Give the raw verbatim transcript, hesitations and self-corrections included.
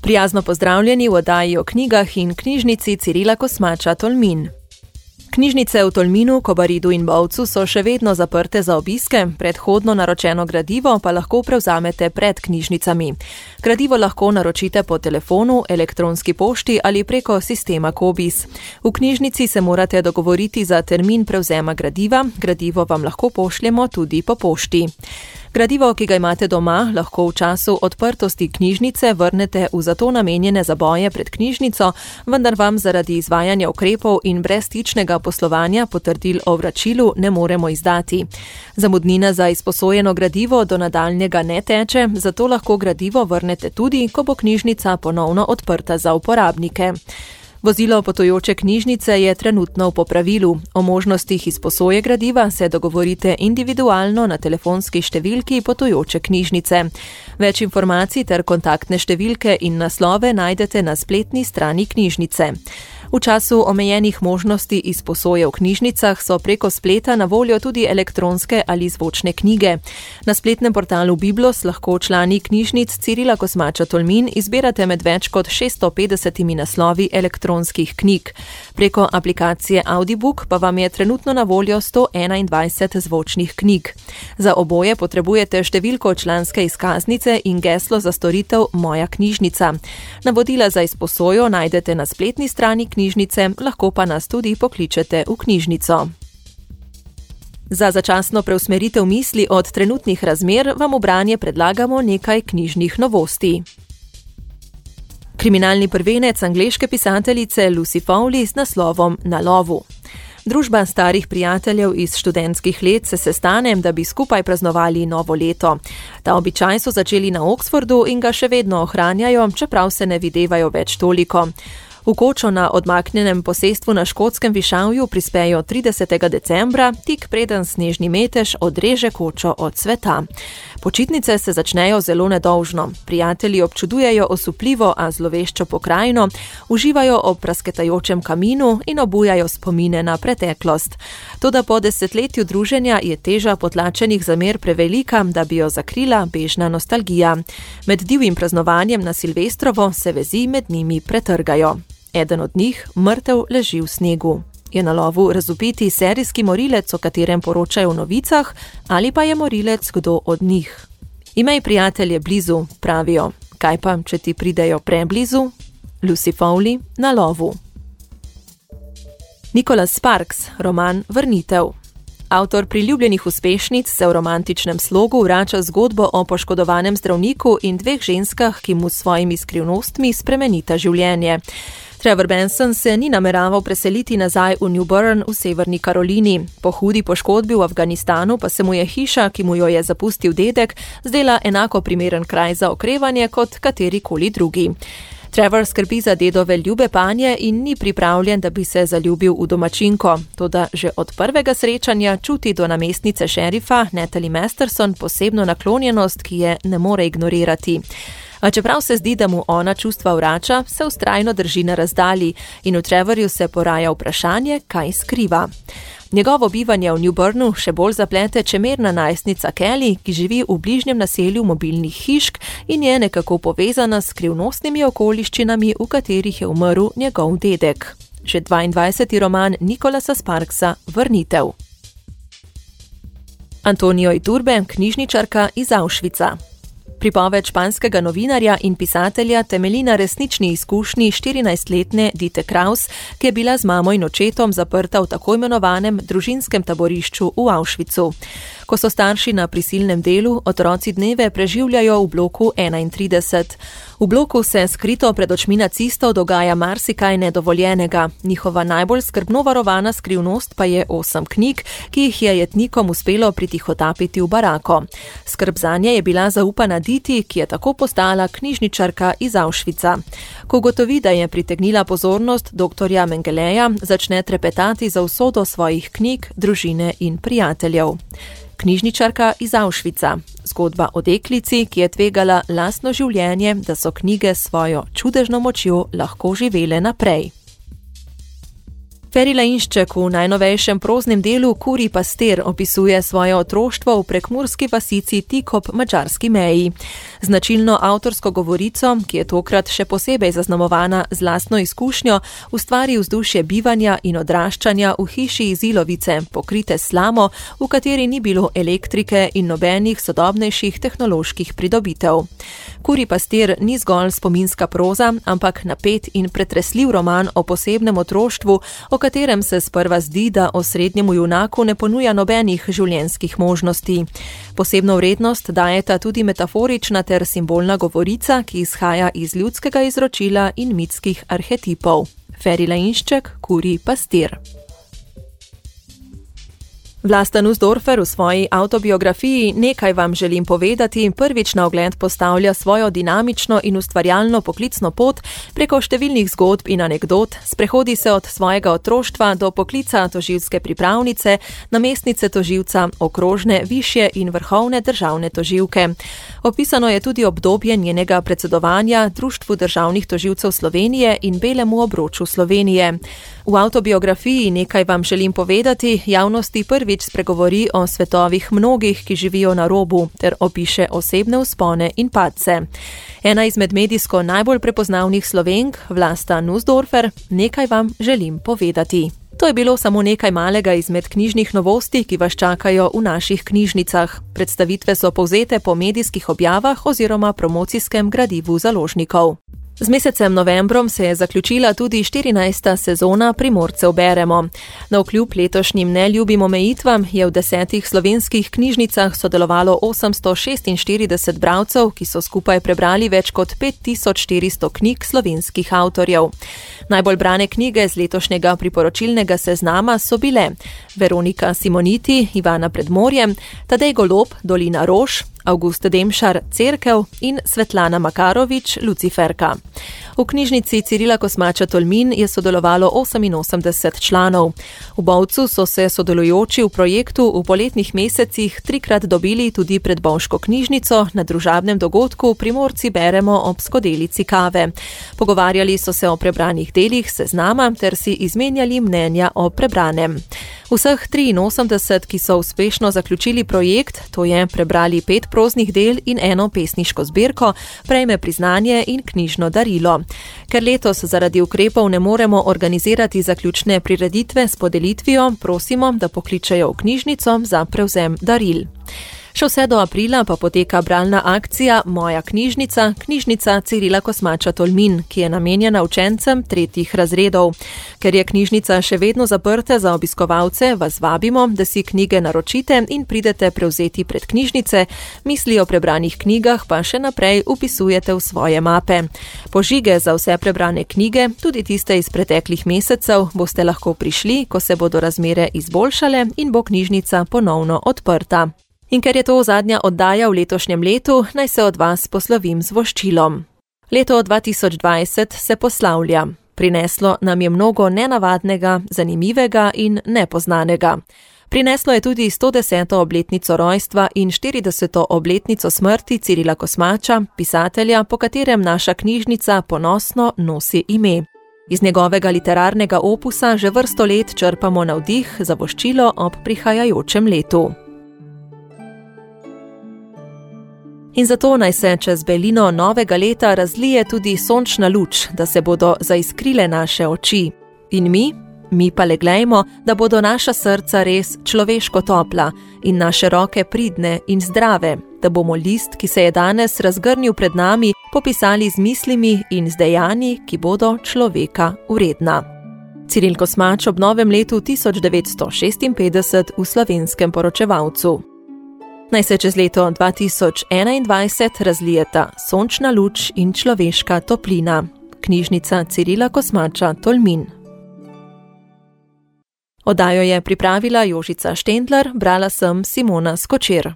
Prijazno pozdravljeni v oddaji o knjigah in knjižnici Cirila Kosmača Tolmin. Knjižnice v Tolminu, Kobaridu in Bovcu so še vedno zaprte za obiske, predhodno naročeno gradivo pa lahko prevzamete pred knjižnicami. Gradivo lahko naročite po telefonu, elektronski pošti ali preko sistema Kobis. V knjižnici se morate dogovoriti za termin prevzema gradiva, gradivo vam lahko pošljemo tudi po pošti. Gradivo, ki ga imate doma, lahko v času odprtosti knjižnice vrnete v zato namenjene zaboje pred knjižnico, vendar vam zaradi izvajanja ukrepov in brezstičnega poslovanja potrdil o vračilu ne moremo izdati. Zamudnina za izposojeno gradivo do nadaljnjega ne teče, zato lahko gradivo vrnete tudi, ko bo knjižnica ponovno odprta za uporabnike. Vozilo potujoče knjižnice je trenutno v popravilu. O možnostih izposoje gradiva se dogovorite individualno na telefonski številki potujoče knjižnice. Več informacij ter kontaktne številke in naslove najdete na spletni strani knjižnice. V času omejenih možnosti izposoje v knjižnicah so preko spleta na voljo tudi elektronske ali zvočne knjige. Na spletnem portalu Biblos lahko člani knjižnic Cirila Kosmača Tolmin izbirate med več kot šeststo petdesetimi naslovi elektronskih knjig. Preko aplikacije Audibook pa vam je trenutno na voljo sto enaindvajset zvočnih knjig. Za oboje potrebujete številko članske izkaznice in geslo za storitev Moja knjižnica. Navodila za izposojo najdete na spletni strani knjižnice, lahko pa nas tudi pokličete v knjižnico. Za začasno preusmeritev misli od trenutnih razmer vam v branje predlagamo nekaj knjižnih novosti. Kriminalni prvenec angleške pisateljice Lucy Fowley z naslovom Na lovu. Družba starih prijateljev iz študentskih let se sestane, da bi skupaj praznovali novo leto. Ta običaj so začeli na Oxfordu in ga še vedno ohranjajo, čeprav se ne videvajo več toliko. V kočo na odmaknjenem posestvu na škotskem višavju prispejo tridesetega decembra, tik preden snežni metež odreže kočo od sveta. Počitnice se začnejo zelo nedolžno. Prijatelji občudujejo osupljivo, a zloveščo pokrajino, uživajo ob prasketajočem kaminu in obujajo spomine na preteklost. Toda po desetletju druženja je teža potlačenih zamer prevelika, da bi jo zakrila bežna nostalgija. Med divjim praznovanjem na Silvestrovo se vezi med njimi pretrgajo. Eden od njih mrtev leži v snegu. Je na lovu razvpiti serijski morilec, o katerem poročajo v novicah, ali pa je morilec kdo od njih. Imej prijatelje blizu, pravijo. Kaj pa, če ti pridejo preblizu? Lucy Fowley, Na lovu. Nicholas Sparks, roman Vrnitev. Avtor priljubljenih uspešnic se v romantičnem slogu vrača zgodbo o poškodovanem zdravniku in dveh ženskah, ki mu s svojimi skrivnostmi spremenita življenje. Trevor Benson se ni nameraval preseliti nazaj v New Bern v Severni Karolini. Po hudi poškodbi v Afganistanu pa se mu je hiša, ki mu jo je zapustil dedek, zdela enako primeren kraj za okrevanje kot katerikoli drugi. Trevor skrbi za dedove ljube panje in ni pripravljen, da bi se zaljubil v domačinko. Toda že od prvega srečanja čuti do namestnice šerifa Natalie Masterson posebno naklonjenost, ki je ne more ignorirati. A čeprav se zdi, da mu ona čustva vrača, se vztrajno drži na razdalji in v Trevorju se poraja vprašanje, kaj skriva. Njegovo bivanje v New Bernu še bolj zaplete čemerna najstnica Kelly, ki živi v bližnjem naselju mobilnih hišk in je nekako povezana s skrivnostnimi okoliščinami, v katerih je umrl njegov dedek. Že dvaindvajseti roman Nicholasa Sparksa Vrnitev. Antonio Iturbe, knjižničarka iz Auschwitza. Pripoved španskega novinarja in pisatelja temelji na resnični izkušnji štirinajstletne Dite Kraus, ki je bila z mamo in očetom zaprta v tako imenovanem družinskem taborišču v Auschwitzu. Ko so starši na prisilnem delu, otroci dneve preživljajo v bloku enaintrideset. V bloku se skrito pred očmi nacistov dogaja marsikaj nedovoljenega. Njihova najbolj skrbno varovana skrivnost pa je osem knjig, ki jih je jetnikom uspelo pritihotapiti v barako. Skrb zanje je bila zaupana Diti, ki je tako postala knjižničarka iz Auschwitza. Ko ugotovi, da je pritegnila pozornost doktorja Mengeleja, začne trepetati za usodo svojih knjig, družine in prijateljev. Knjižničarka iz Auschwitza. Zgodba o deklici, ki je tvegala lastno življenje, da so knjige s svojo čudežno močjo lahko živele naprej. Feri Lainšček v najnovejšem proznem delu Kuri pastir opisuje svoje otroštvo v prekmurski vasici tik ob madžarski meji. Značilno avtorsko govorico, ki je tokrat še posebej zaznamovana z lastno izkušnjo, ustvari vzdušje bivanja in odraščanja v hiši iz ilovice, pokrite s slamo, v kateri ni bilo elektrike in nobenih sodobnejših tehnoloških pridobitev. Kuri pastir ni zgolj spominska proza, ampak napet in pretresljiv roman o posebnem otroštvu, o katerem se sprva zdi, da osrednjemu junaku ne ponuja nobenih življenjskih možnosti. Posebno vrednost dajeta tudi metaforična ter simbolna govorica, ki izhaja iz ljudskega izročila in mitskih arhetipov. Feri Lainšček, Kuri pastir. Vlasta Nussdorfer v svoji avtobiografiji Nekaj vam želim povedati prvič na ogled postavlja svojo dinamično in ustvarjalno poklicno pot preko številnih zgodb in anekdot, sprehodi se od svojega otroštva do poklica tožilske pripravnice, namestnice tožilca, okrožne, višje in vrhovne državne tožilke. Opisano je tudi obdobje njenega predsedovanja Društvu državnih tožilcev Slovenije in Belemu obroču Slovenije. V avtobiografiji Nekaj vam želim povedati javnosti prvič spregovori o svetovih mnogih, ki živijo na robu, ter opiše osebne vzpone in padce. Ena izmed medijsko najbolj prepoznavnih Slovenk, Vlasta Nussdorfer, Nekaj vam želim povedati. To je bilo samo nekaj malega izmed knjižnih novosti, ki vas čakajo v naših knjižnicah. Predstavitve so povzete po medijskih objavah oziroma promocijskem gradivu založnikov. Z mesecem novembrom se je zaključila tudi štirinajsta sezona Primorcev beremo. Navkljub letošnjim neljubim omejitvam je v desetih slovenskih knjižnicah sodelovalo osemsto šestinštirideset bralcev, ki so skupaj prebrali več kot pet tisoč štiristo knjig slovenskih avtorjev. Najbolj brane knjige z letošnjega priporočilnega seznama so bile Veronika Simoniti, Ivana Predmorje, Tadej Golob, Dolina rož, Avgust Demšar, Cerkev in Svetlana Makarovič, Luciferka. V knjižnici Cirila Kosmača Tolmin je sodelovalo oseminosemdeset članov. V Bovcu so se sodelujoči v projektu v poletnih mesecih trikrat dobili tudi pred Bovško knjižnico na družabnem dogodku Primorci beremo ob skodelici kave. Pogovarjali so se o prebranih delih seznama ter si izmenjali mnenja o prebranem. Vseh triinosemdeset, ki so uspešno zaključili projekt, to je prebrali pet proznih del in eno pesniško zbirko, prejme priznanje in knjižno darilo. Ker letos zaradi ukrepov ne moremo organizirati zaključne prireditve s podelitvijo, prosimo, da pokličejo v knjižnico za prevzem daril. Še vse do aprila pa poteka bralna akcija Moja knjižnica, knjižnica Cirila Kosmača Tolmin, ki je namenjena učencem tretjih razredov. Ker je knjižnica še vedno zaprta za obiskovalce, vas vabimo, da si knjige naročite in pridete prevzeti pred knjižnice, misli o prebranih knjigah pa še naprej upisujete v svoje mape. Požige za vse prebrane knjige, tudi tiste iz preteklih mesecev, boste lahko prišli, ko se bodo razmere izboljšale in bo knjižnica ponovno odprta. In ker je to zadnja oddaja v letošnjem letu, naj se od vas poslovim z voščilom. Leto dva tisoč dvajset se poslavlja. Prineslo nam je mnogo nenavadnega, zanimivega in nepoznanega. Prineslo je tudi stodeseto obletnico rojstva in štirideseto obletnico smrti Cirila Kosmača, pisatelja, po katerem naša knjižnica ponosno nosi ime. Iz njegovega literarnega opusa že vrsto let črpamo navdih za voščilo ob prihajajočem letu. In zato naj se čez belino novega leta razlije tudi sončna luč, da se bodo zaiskrile naše oči. In mi, mi pa le glejmo, da bodo naša srca res človeško topla in naše roke pridne in zdrave, da bomo list, ki se je danes razgrnil pred nami, popisali z mislimi in z dejanji, ki bodo človeka vredna. Ciril Kosmač ob novem letu tisoč devetsto šestinpetdeset v Slovenskem poročevalcu. Naj se čez leto dva tisoč enaindvajset razlijeta sončna luč in človeška toplina. Knjižnica Cirila Kosmača Tolmin. Oddajo je pripravila Jožica Štendler, brala sem Simona Skočir.